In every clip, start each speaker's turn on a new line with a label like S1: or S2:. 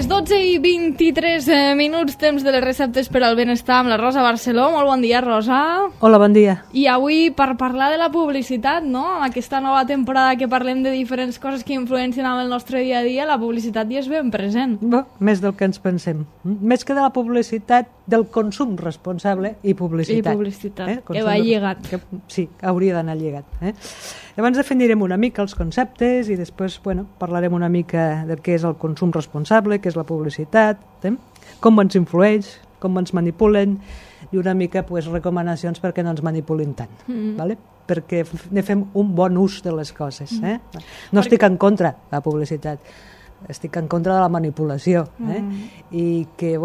S1: Les 12:23 temps de les receptes per al benestar amb la Rosa Barceló. Molt bon dia, Rosa.
S2: Hola, bon dia.
S1: I avui per parlar de la publicitat, no? Aquesta nova temporada que parlem de diferents coses que influencien en el nostre dia a dia, la publicitat hi és ben present.
S2: Més del que ens pensem. Més que de la publicitat, del consum responsable i publicitat.
S1: I publicitat, que va lligat.
S2: Sí, hauria d'anar lligat. Llavors definirem una mica els conceptes i després parlarem una mica del què és el consum responsable, què és la publicitat, com ens influeix, com ens manipulen i una mica recomanacions perquè no ens manipulin tant. ¿Vale? Perquè ne fem un bon ús de les coses. No estic en contra de la publicitat, estic en contra de la manipulació i que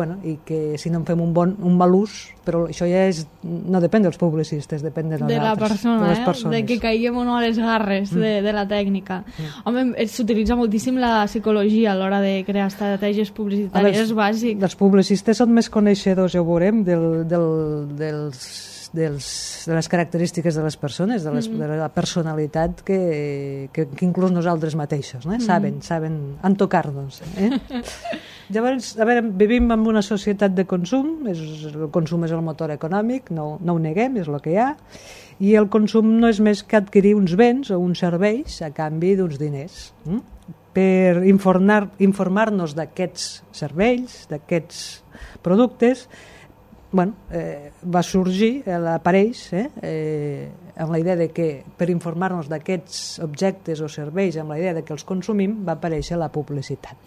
S2: si no en fem un mal ús, però això ja no depèn dels publicistes, depèn de nosaltres,
S1: la persona,
S2: de les persones.
S1: De que caiguem o no a les garres de la tècnica. Home, s'utilitza moltíssim la psicologia a l'hora de crear estratègies publicitàries, és bàsic.
S2: Els publicistes són més coneixedors, ja ho veurem, de les característiques de les persones, de la personalitat que inclús nosaltres mateixos, saben entocar-nos. Llavors, a veure, vivim en una societat de consum, el consum és el motor econòmic, no ho neguem, és el que hi ha, i el consum no és més que adquirir uns béns o uns serveis a canvi d'uns diners. Per informar-nos d'aquests serveis, d'aquests productes, va sorgir, apareix amb la idea de que per informar-nos d'aquests objectes o serveis, amb la idea de que els consumim, va aparèixer la publicitat.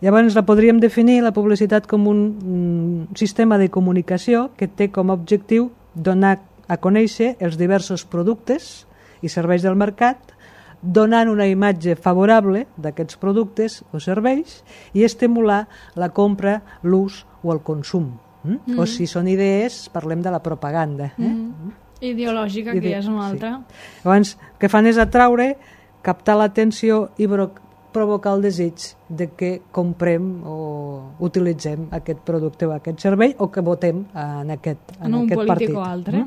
S2: Llavors la podríem definir, la publicitat, com un sistema de comunicació que té com a objectiu donar a conèixer els diversos productes i serveis del mercat, donant una imatge favorable d'aquests productes o serveis i estimular la compra, l'ús o el consum. O si són idees, parlem de la propaganda.
S1: Ideològica, que ja és una altra.
S2: Llavors, el que fan és atraure, captar l'atenció i provocar el desig de que comprem o utilitzem aquest producte o aquest servei o que votem en aquest partit.
S1: En un polític o altre.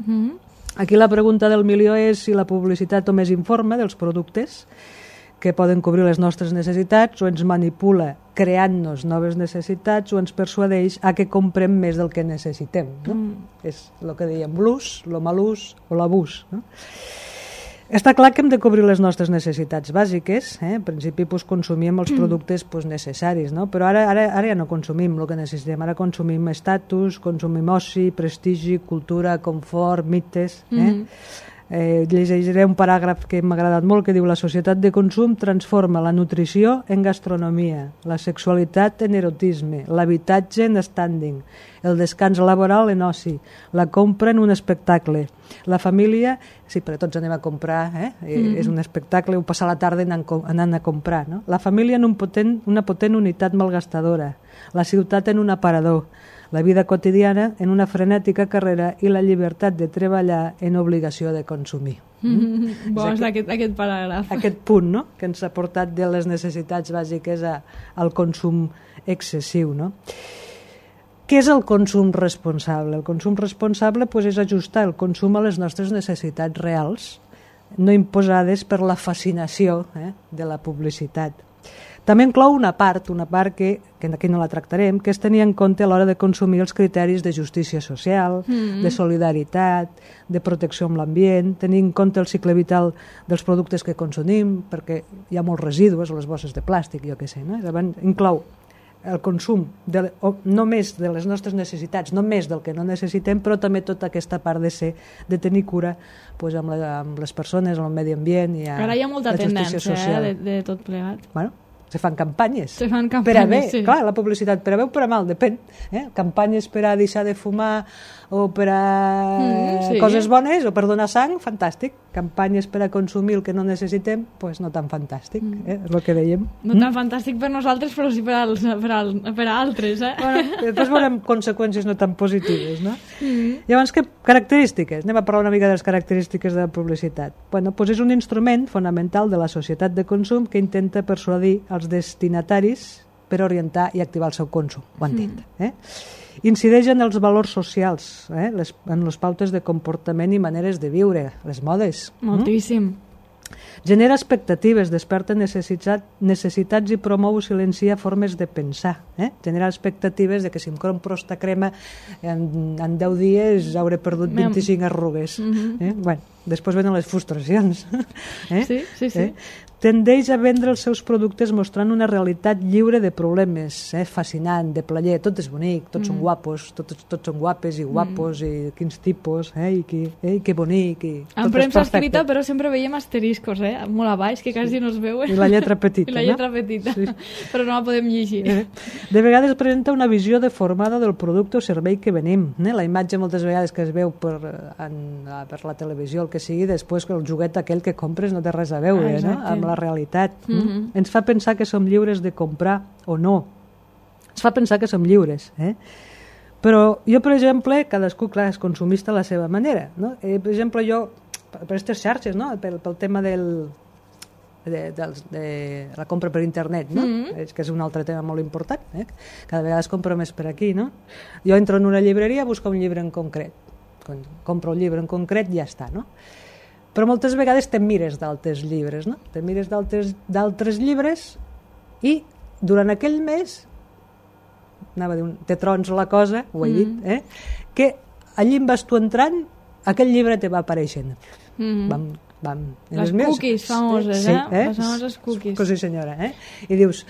S2: Aquí la pregunta del milió és si la publicitat només informa dels productes que poden cobrir les nostres necessitats o ens manipula creant-nos noves necessitats o ens persuadeix a que comprem més del que necessitem. És el que dèiem, l'ús, el mal ús o l'abús. Està clar que hem de cobrir les nostres necessitats bàsiques. En principi consumíem els productes necessaris, però ara ja no consumim el que necessitem. Ara consumim estatus, consumim oci, prestigi, cultura, confort, mites. Llegiré un paràgraf que m'ha agradat molt que diu: la societat de consum transforma la nutrició en gastronomia, la sexualitat en erotisme, l'habitatge en standing, el descans laboral en oci, la compra en un espectacle, la família, sí, però tots anem a comprar, és un espectacle, o passar la tarda anant a comprar, la família en una potent unitat malgastadora, la ciutat en un aparador, la vida quotidiana en una frenètica carrera i la llibertat de treballar en obligació de consumir.
S1: És aquest paràgraf.
S2: Aquest punt, que ens ha portat de les necessitats bàsiques al consum excessiu. Què és el consum responsable? El consum responsable és ajustar el consum a les nostres necessitats reals, no imposades per la fascinació de la publicitat. També inclou una part que aquí no la tractarem, que és tenir en compte a l'hora de consumir els criteris de justícia social, de solidaritat, de protecció amb l'ambient, tenir en compte el cicle vital dels productes que consumim, perquè hi ha molts residus, les bosses de plàstic, jo què sé. Inclou el consum només de les nostres necessitats, no més del que no necessitem, però també tota aquesta part de tenir cura amb les persones, amb el medi ambient i
S1: ara hi ha molta tendència de tot plegat.
S2: Se fan campanyes.
S1: Per a bé,
S2: sí. Clar, la publicitat per a bé o per a mal, depèn. Campanyes per a deixar de fumar o per a coses bones o per donar sang, fantàstic. Campanyes per a consumir el que no necessitem, doncs no tan fantàstic, és el que dèiem.
S1: No tan fantàstic per nosaltres, però sí per a altres.
S2: Després veurem conseqüències no tan positives, no? Llavors, què característiques? Anem a parlar una mica de les característiques de la publicitat. Doncs és un instrument fonamental de la societat de consum que intenta persuadir els destinataris per orientar i activar el seu consum. Ho entenc. Incideix en els valors socials, en les pautes de comportament i maneres de viure, les modes.
S1: Moltíssim.
S2: Genera expectatives, desperta necessitats i promou o silencia formes de pensar. Genera expectatives de que si em compro esta crema en 10 dies hauré perdut 25 arrugues. Bueno, després venen les frustracions.
S1: Sí.
S2: Tendeix a vendre els seus productes mostrant una realitat lliure de problemes, fascinant, de plaer, tot és bonic, tots són guapos, tots són guapes i guapos, i quins tipus, i que bonic, i
S1: en premsa escrita, però sempre veiem asteriscos, molt a baix, que quasi no es veuen.
S2: I la lletra petita,
S1: I la lletra petita, però no la podem llegir.
S2: De vegades presenta una visió deformada del producte o servei que venim. La imatge moltes vegades que es veu per la televisió, el que sigui, després el joguet aquell que compres no té res a veure, amb la realitat. Ens fa pensar que som lliures de comprar o no. Ens fa pensar que som lliures. Però jo, per exemple, cadascú, clar, és consumista a la seva manera. Per exemple, jo, per aquestes xarxes, pel tema de la compra per internet, que és un altre tema molt important, cada vegada es compra més per aquí, jo entro en una llibreria a buscar un llibre en concret, quan compro un llibre en concret ja està, però moltes vegades te mires d'altres llibres, te mires d'altres llibres i durant aquell mes te trons la cosa, ho he dit, que allí vas tu entrant, aquell llibre te va apareixent.
S1: Les cookies famoses, les famoses cookies.
S2: Pues sí, senyora, i dius,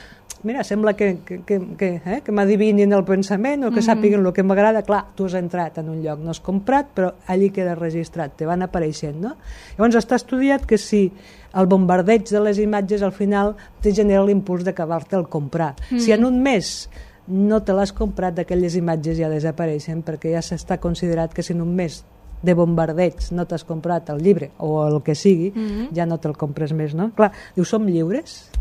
S2: mira, sembla que m'adivinin el pensament o que sàpiguen el que m'agrada. Clar, tu has entrat en un lloc, no has comprat, però allí queda registrat, te van apareixent, Llavors està estudiat que si el bombardeig de les imatges al final te genera l'impuls d'acabar-te el comprar. Si en un mes no te l'has comprat, aquelles imatges ja desapareixen, perquè ja s'està considerat que si en un mes de bombardeig no t'has comprat el llibre o el que sigui, ja no te'l compres més, Clar, dius, som lliures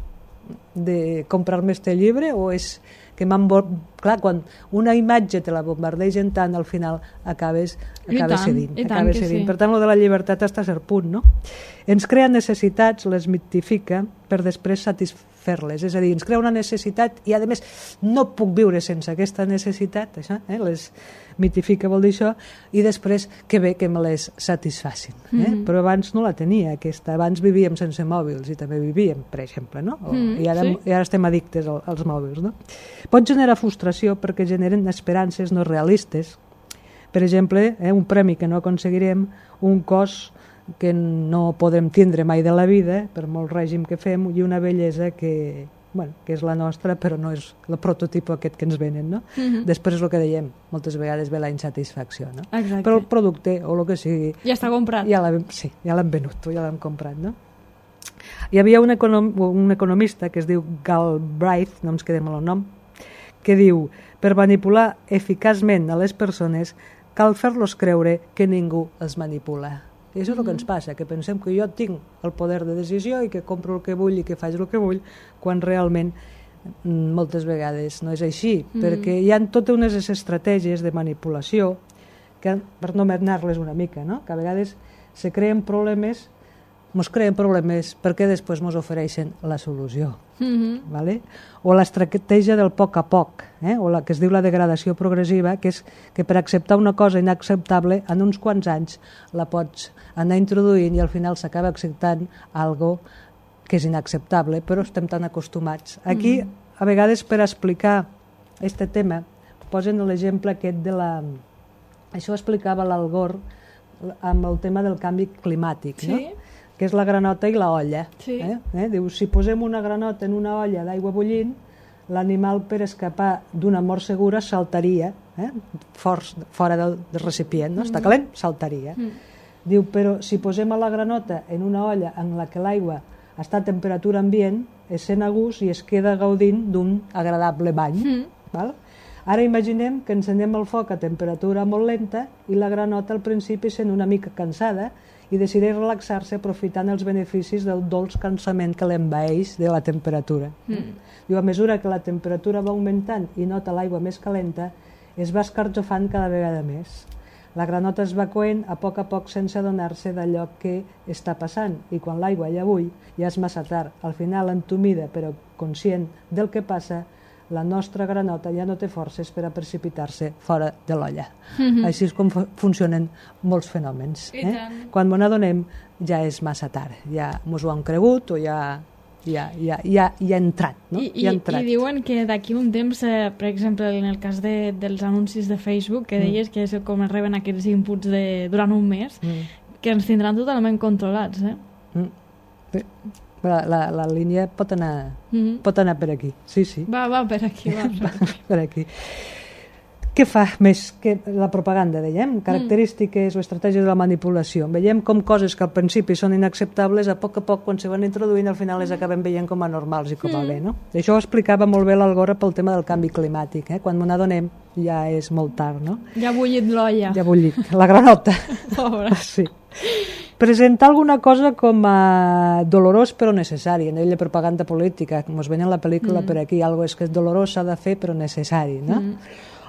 S2: de comprar-me este llibre o és que clar, quan una imatge te la bombardegen tant, al final acabes cedint. Per tant, lo de la llibertat està a cert punt, Ens crea necessitats, les mitifica per després satisfer-les, és a dir, ens crea una necessitat i a més no puc viure sense aquesta necessitat, això, les mitifica vol dir això, i després que bé que me les satisfacin. Però abans no la tenia aquesta, abans vivíem sense mòbils i també vivíem, per exemple, I ara estem addictes als mòbils. Pot generar frustració perquè generen esperances no realistes, per exemple, un premi que no aconseguirem, un cos que no podem tindre mai de la vida per molt règim que fem i una bellesa que és la nostra però no és el prototip aquest que ens venen, Després és el que dèiem, moltes vegades ve la insatisfacció, però el producte o el que sigui
S1: ja està comprat,
S2: ja l'hem venut, ja l'hem comprat. Hi havia un economista que es diu Galbraith, no ens quedem amb el nom, que diu, per manipular eficaçment a les persones cal fer-los creure que ningú els manipula. I això és el que ens passa, que pensem que jo tinc el poder de decisió i que compro el que vull i que faig el que vull, quan realment moltes vegades no és així, perquè hi ha totes unes estratègies de manipulació que, per no anar-les una mica, que a vegades se creen problemes, ens creen problemes perquè després ens ofereixen la solució. O l'estratègia del poc a poc, o la que es diu la degradació progressiva, que és que per acceptar una cosa inacceptable en uns quants anys la pots anar introduint i al final s'acaba acceptant algo que és inacceptable, però estem tan acostumats. Aquí, a vegades, per explicar aquest tema, posen l'exemple aquest de la... Això ho explicava l'Al Gore amb el tema del canvi climàtic, que és la granota i la olla. Diu, si posem una granota en una olla d'aigua bullint, l'animal per escapar d'una mort segura saltaria, fora del recipient, està calent, saltaria. Diu, però si posem la granota en una olla en la que l'aigua està a temperatura ambient, es sent a gust i es queda gaudint d'un agradable bany. Ara imaginem que encenem el foc a temperatura molt lenta i la granota al principi sent una mica cansada i decideix relaxar-se aprofitant els beneficis del dolç cansament que l'envaeix de la temperatura. Diu, a mesura que la temperatura va augmentant i nota l'aigua més calenta, es va escarjofant cada vegada més. La granota es va coent a poc sense adonar-se d'allò que està passant i quan l'aigua ja bull ja és massa tard. Al final, entumida però conscient del que passa, la nostra granota ja no té forces per a precipitar-se fora de l'olla. Així és com funcionen molts fenòmens. Quan ens n'adonem ja és massa tard, ja ens ho han cregut o ja ha entrat. No?
S1: I diuen que d'aquí un temps, per exemple, en el cas dels anuncis de Facebook, que deies que és com es reben aquests inputs durant un mes, que ens tindran totalment controlats.
S2: La línia pot anar per aquí. Sí.
S1: Va per aquí.
S2: Per aquí. Què fa més que la propaganda, dèiem? Característiques o estratègies de la manipulació. Veiem com coses que al principi són inacceptables, a poc, quan se van introduint, al final les acabem veient com a normals i com a bé, no? Això ho explicava molt bé l'Algora pel tema del canvi climàtic. Quan m'ho n'adonem ja és molt tard, no?
S1: Ja ha bullit l'olla.
S2: Ja ha bullit. La granota.
S1: Pobre.
S2: Sí. Presentar alguna cosa com a dolorós però necessari, en ella propaganda política, com es veia en la pel·lícula per aquí, algo és que és dolorós, s'ha de fer però necessari, no?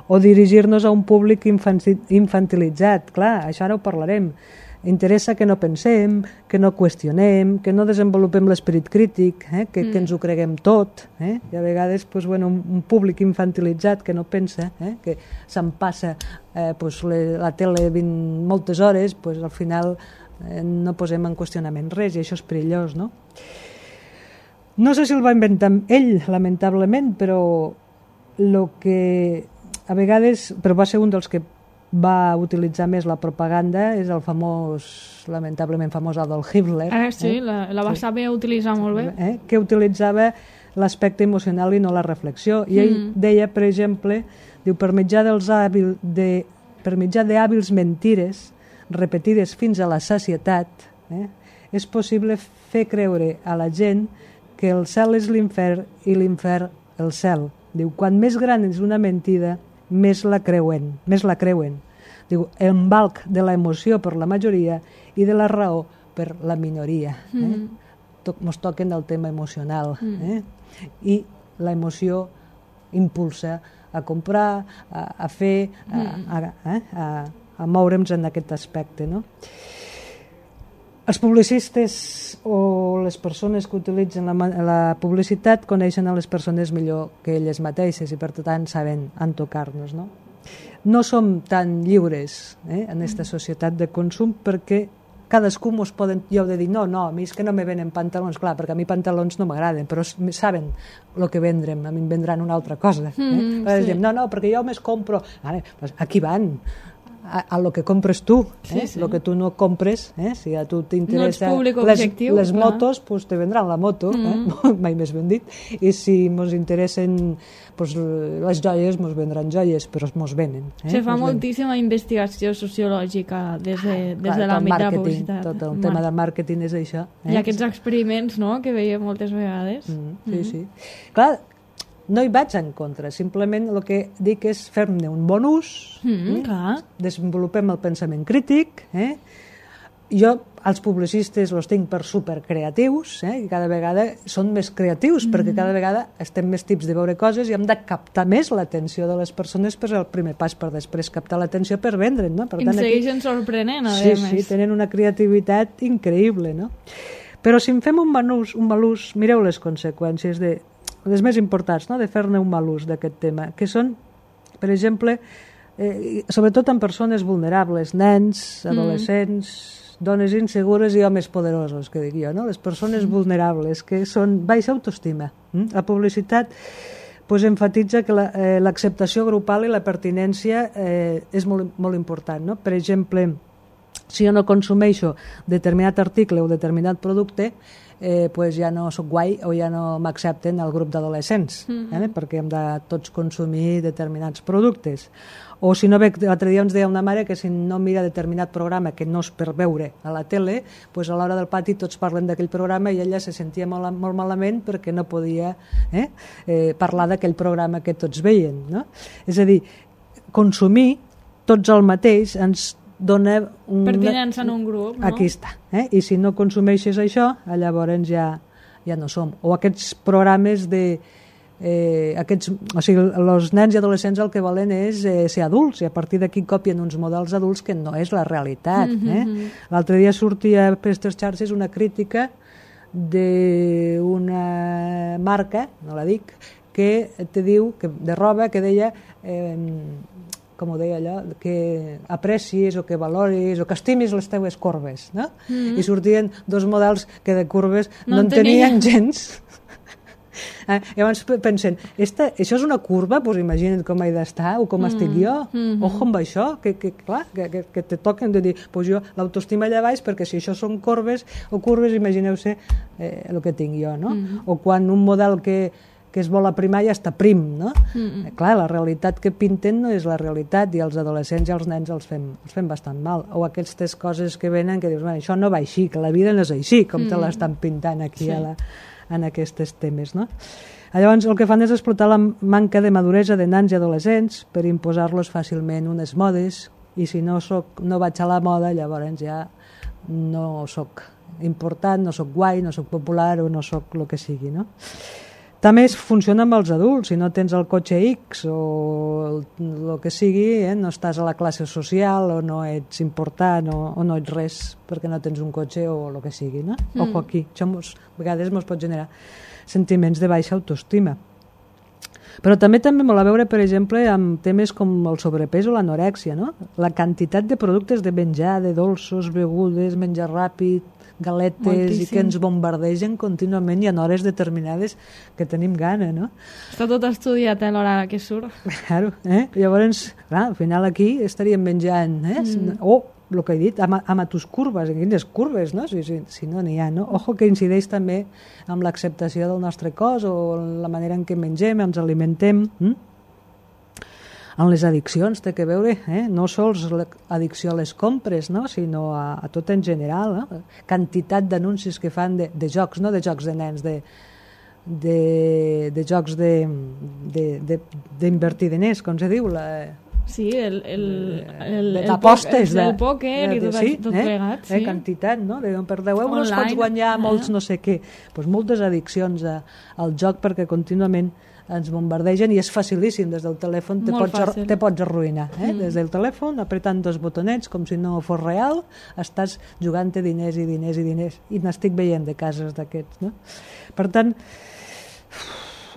S2: O dirigir-nos a un públic infantilitzat, clar, això ara ho parlarem. Interessa que no pensem, que no qüestionem, que no desenvolupem l'esperit crític, que ens ho creguem tot. I a vegades un públic infantilitzat que no pensa, que se'n passa la tele moltes hores, al final no posem en qüestionament res i això és perillós, no? No sé si el va inventar ell, lamentablement, però a vegades, però va ser un dels que va utilitzar més la propaganda, és el lamentablement famós Adolf Hitler.
S1: Sí, la va saber utilitzar molt bé.
S2: Que utilitzava l'aspecte emocional i no la reflexió. I ell deia, per exemple, per mitjà d'hàbils mentires repetides fins a la sacietat, és possible fer creure a la gent que el cel és l'infern i l'infern el cel. Diu, quan més gran és una mentida, més la creuen. Diu, embalc de l'emoció per la majoria i de la raó per la minoria. Ens toquen el tema emocional. I l'emoció impulsa a comprar, a fer, a moure'ns en aquest aspecte, no? Els publicistes o les persones que utilitzen la publicitat coneixen a les persones millor que elles mateixes i per tant saben entocar-nos, no? No som tan lliures en aquesta societat de consum perquè cadascú mos poden... Jo he de dir, no, a mi és que no me venen pantalons, clar, perquè a mi pantalons no m'agraden, però saben el que vendrem, a mi em vendran una altra cosa. No, perquè jo més compro... Aquí van... a lo que compres tu, lo que tu no compres, si a tu t'interessa les motos, pues te vendran la moto, mai més ben dit, i si mos interessen les joies, mos vendran joies, però mos venen.
S1: Se fa moltíssima investigació sociològica des de l'àmbit de la publicitat.
S2: Tot el tema del màrqueting és això.
S1: I aquests experiments, no?, que veiem moltes vegades.
S2: Sí. Clar, no hi vaig en contra, simplement el que dic és fer-ne un bon ús, desenvolupem el pensament crític, jo els publicistes els tinc per supercreatius, i cada vegada són més creatius, perquè cada vegada estem més tips de veure coses i hem de captar més l'atenció de les persones per el primer pas, per després captar l'atenció per vendre'n, no?
S1: I em segueixen sorprenent, a
S2: més. Sí, tenen una creativitat increïble, no? Però si en fem un mal ús, mireu les conseqüències les més importants, no?, de fer-ne un mal ús d'aquest tema, que són, per exemple, sobretot en persones vulnerables, nens, adolescents, dones insegures i homes poderosos, que dic jo, no? Les persones vulnerables, que són baixa autoestima. La publicitat enfatitza que l'acceptació grupal i la pertinència és molt important, no? Per exemple, si jo no consumeixo determinat article o determinat producte, ja no soc guai o ja no m'accepten al grup d'adolescents, perquè hem de tots consumir determinats productes. O si no, l'altre dia ens deia una mare que si no mira determinat programa que no és per veure a la tele, a l'hora del pati tots parlen d'aquell programa i ella se sentia molt malament perquè no podia parlar d'aquell programa que tots veien, no? És a dir, consumir tots el mateix ens dona
S1: pertinença en un grup, no?
S2: Aquí està. I si no consumeixes això, llavors ja no som. O aquests programes o sigui, els nens i adolescents el que volen és ser adults, i a partir d'aquí copien uns models adults que no és la realitat. L'altre dia sortia per aquestes xarxes una crítica d'una marca, no la dic, que te diu, de roba, que deia, com ho deia allò, que aprecis o que valoris o que estimis les teves corbes, no? I sortien dos models que de corbes no en tenien gens. Llavors pensen, això és una curva? Doncs imagina't com he d'estar o com estic jo. Ojo amb això, que te toquen de dir, doncs jo l'autoestima allà baix, perquè si això són corbes o curves, imagineu-se el que tinc jo, no? O quan un model que es vol aprimar ja està prim, no? Clar, la realitat que pinten no és la realitat i els adolescents i els nens els fem bastant mal. O aquestes coses que venen que dius, això no va així, que la vida no és així, com te l'estan pintant aquí en aquests temes, no? Llavors el que fan és explotar la manca de maduresa de nans i adolescents per imposar-los fàcilment unes modes, i si no vaig a la moda, llavors ja no soc important, no soc guai, no soc popular o no soc el que sigui, no? També funciona amb els adults. Si no tens el cotxe X o el que sigui, no estàs a la classe social o no ets important o no ets res perquè no tens un cotxe o el que sigui, no? Ojo aquí, això a vegades ens pot generar sentiments de baixa autoestima. Però també molt a veure, per exemple, amb temes com el sobrepès o l'anorèxia, no? La quantitat de productes de menjar, de dolços, begudes, menjar ràpid, galetes, moltíssim, i que ens bombardegen contínuament i en hores determinades que tenim gana, no?
S1: Està tot estudiat a l'hora que surt.
S2: Claro, llavors, clar, al final aquí estaríem menjant, o el que he dit, amb tus curves, quines curves, no? Si no n'hi ha, no? Ojo que incideix també amb l'acceptació del nostre cos o la manera en què mengem, ens alimentem, en les addiccions té que veure, no sols l'addicció a les compres, no? Sinó a tot en general, no? Quantitat d'anuncis que fan de jocs, no de jocs de nens, de jocs d'invertir diners, com se diu,
S1: sí,
S2: d'apostes,
S1: el pòquer i tot plegat, sí.
S2: Quantitat, no? Per 10 euros pots guanyar molts no sé què. Doncs moltes addiccions al joc perquè contínuament ens bombardegen i és facilíssim. Des del telèfon te pots arruïnar. Des del telèfon, apretant dos botonets com si no fos real, estàs jugant-te diners i diners i diners. I n'estic veient de cases d'aquests, no? Per tant,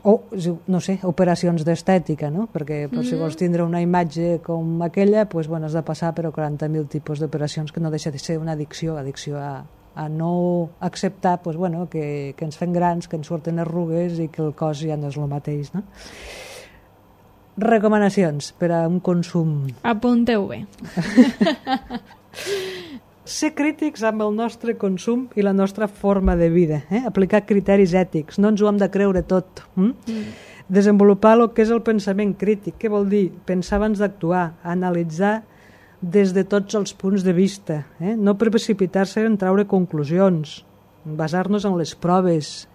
S2: no sé, operacions d'estètica, no? Perquè si vols tindre una imatge com aquella, has de passar per 40.000 tipus d'operacions, que no deixa de ser una addicció a no acceptar que ens fem grans, que ens surten arrugues i que el cos ja no és el mateix, no? Recomanacions per a un consum.
S1: Apunteu bé.
S2: Ser crítics amb el nostre consum i la nostra forma de vida, aplicar criteris ètics, no ens ho hem de creure tot. Desenvolupar el que és el pensament crític. Què vol dir? Pensar abans d'actuar, analitzar des de tots els punts de vista, no precipitar-se en treure conclusions, basar-nos en les proves,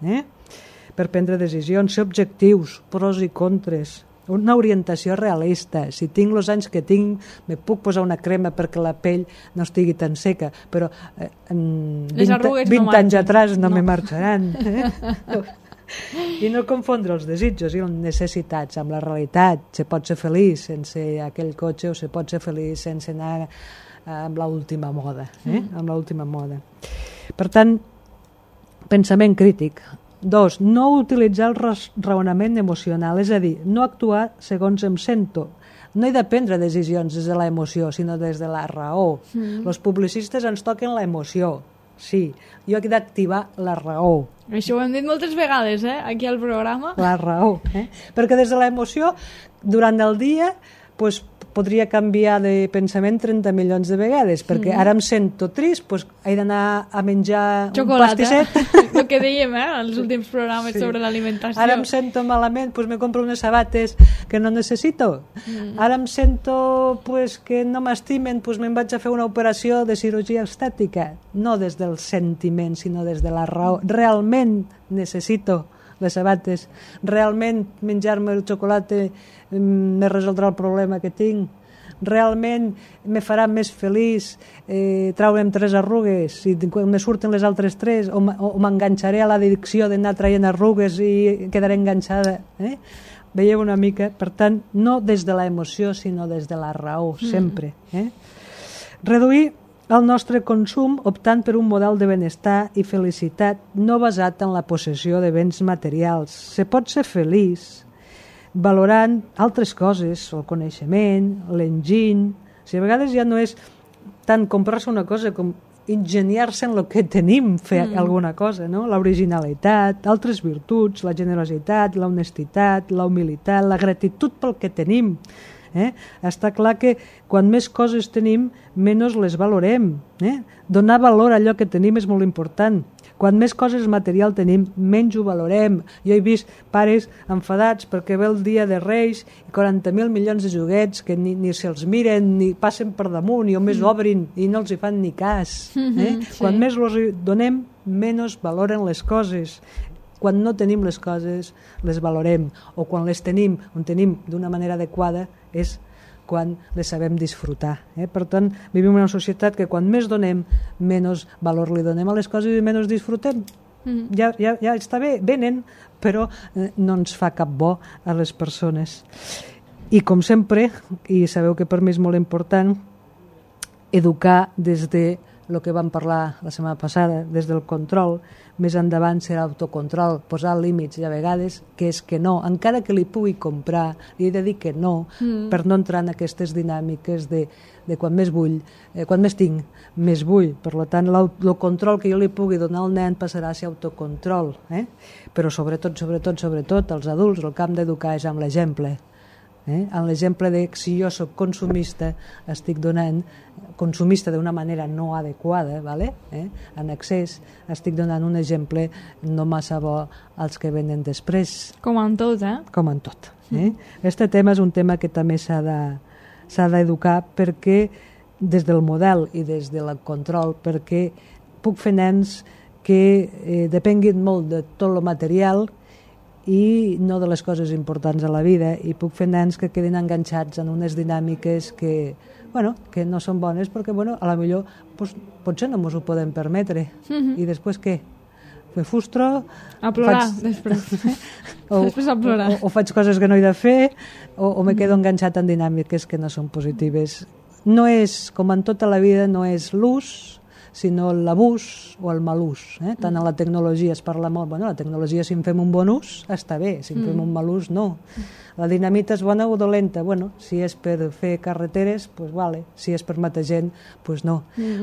S2: per prendre decisions, ser objectius, pros i contres, una orientació realista. Si tinc els anys que tinc, me puc posar una crema perquè la pell no estigui tan seca, però 20 anys atrás no me marxaran. I no confondre els desitjos i les necessitats amb la realitat. Se pot ser feliç sense aquell cotxe o se pot ser feliç sense anar amb l'última moda. Amb l'última moda. Per tant, pensament crític. 2. No utilitzar el raonament emocional, és a dir, no actuar segons em sento. No he de prendre decisions des de l'emoció, sinó des de la raó. Els publicistes ens toquen l'emoció. Sí, jo he d'activar la raó.
S1: Això ho hem dit moltes vegades, aquí al programa.
S2: La raó, perquè des de l'emoció, durant el dia, podria canviar de pensament 30 milions de vegades, perquè ara em sento trist, he d'anar a menjar
S1: xocolata,
S2: un pastisset.
S1: El que dèiem als últims programes sobre l'alimentació.
S2: Ara em sento malament, me compro unes sabates que no necessito. Ara em sento que no m'estimen, me'n vaig a fer una operació de cirurgia estètica. No des del sentiment, sinó des de la raó. Realment necessito les sabates, realment menjar-me el xocolata me resoldrà el problema que tinc, realment me farà més feliç traure'm 3 arrugues i quan me surten les altres 3 o m'enganxaré a l'addicció d'anar traient arrugues i quedaré enganxada. Veieu una mica? Per tant, no des de l'emoció sinó des de la raó, sempre. Reduir el nostre consum optant per un model de benestar i felicitat no basat en la possessió de béns materials. Se pot ser feliç valorant altres coses, el coneixement, l'enginy. O sigui, a vegades ja no és tant comprar-se una cosa com ingeniar-se en el que tenim, fer alguna cosa, no? L'originalitat, altres virtuts, la generositat, la honestitat, la humilitat, la gratitud pel que tenim. Està clar que quan més coses tenim, menys les valorem. Donar valor a allò que tenim és molt important. Quan més coses material tenim, menys ho valorem. Jo he vist pares enfadats perquè ve el dia de Reis i 40.000 milions de joguets que ni se'ls miren, ni passen per damunt, i només obrin i no els hi fan ni cas. Quan més els donem, menys valoren les coses. Quan no tenim les coses, les valorem. O quan les tenim, on tenim d'una manera adequada, és quan les sabem disfrutar. Per tant, vivim en una societat que quan més donem, menys valor li donem a les coses i menys disfrutem. Ja està bé, venen, però no ens fa cap bo a les persones. I com sempre, i sabeu que per mi és molt important, educar des de el que vam parlar la setmana passada, des del control, més endavant serà autocontrol, posar límits, i a vegades que és que no, encara que li pugui comprar, li he de dir que no, per no entrar en aquestes dinàmiques de quan més vull, quan més tinc, més vull. Per tant, el control que jo li pugui donar al nen passarà a ser autocontrol. Però sobretot, els adults, el que hem d'educar és amb l'exemple. En l'exemple de si jo soc consumista, estic donant consumista d'una manera no adequada, en excés, estic donant un exemple no massa bo als que venen després.
S1: Com en tot,
S2: Com en tot. Este tema és un tema que també s'ha d'educar perquè des del model i des del control, perquè puc fer nens que depenguin molt de tot el material i no de les coses importants a la vida, i puc fer nens que quedin enganxats en unes dinàmiques que no són bones perquè a la millor potser no ens ho podem permetre. I després què? Me frustro,
S1: a plorar després a plorar,
S2: o faig coses que no he de fer, o me quedo enganxat en dinàmiques que no són positives. No és, com en tota la vida, no és l'ús, sinó l'abús o el mal ús. Tant a la tecnologia es parla molt, la tecnologia, si en fem un bon ús està bé, si en fem un mal ús no. La dinamita és bona o dolenta? Si és per fer carreteres, vale. Si és per matar gent, no.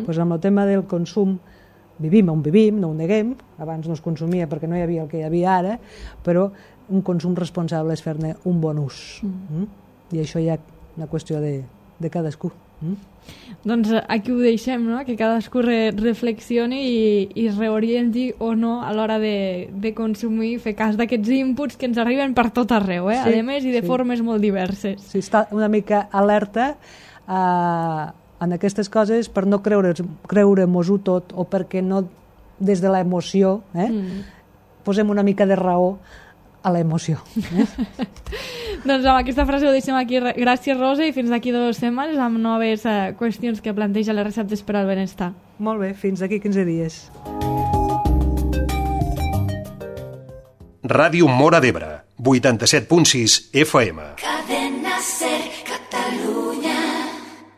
S2: Amb el tema del consum, vivim on vivim, no ho neguem, abans no es consumia perquè no hi havia el que hi havia ara, però un consum responsable és fer-ne un bon ús. I això hi ha una qüestió de cadascú.
S1: Doncs aquí ho deixem, que cadascú reflexioni i reorienti o no a l'hora de consumir, fer cas d'aquests inputs que ens arriben per tot arreu, a més i de formes molt diverses.
S2: Sí, està una mica alerta en aquestes coses per no creure-mos-ho tot, o perquè no des de l'emoció posem una mica de raó a l'emoció.
S1: Doncs amb aquesta frase ho deixem aquí. Gràcies, Rosa, i fins d'aquí 2 setmanes amb noves qüestions que planteja les receptes per al benestar.
S2: Molt bé, fins d'aquí 15 dies.
S3: Ràdio Móra d'Ebre, 87.6 FM.
S4: Cadena Ser, Catalunya.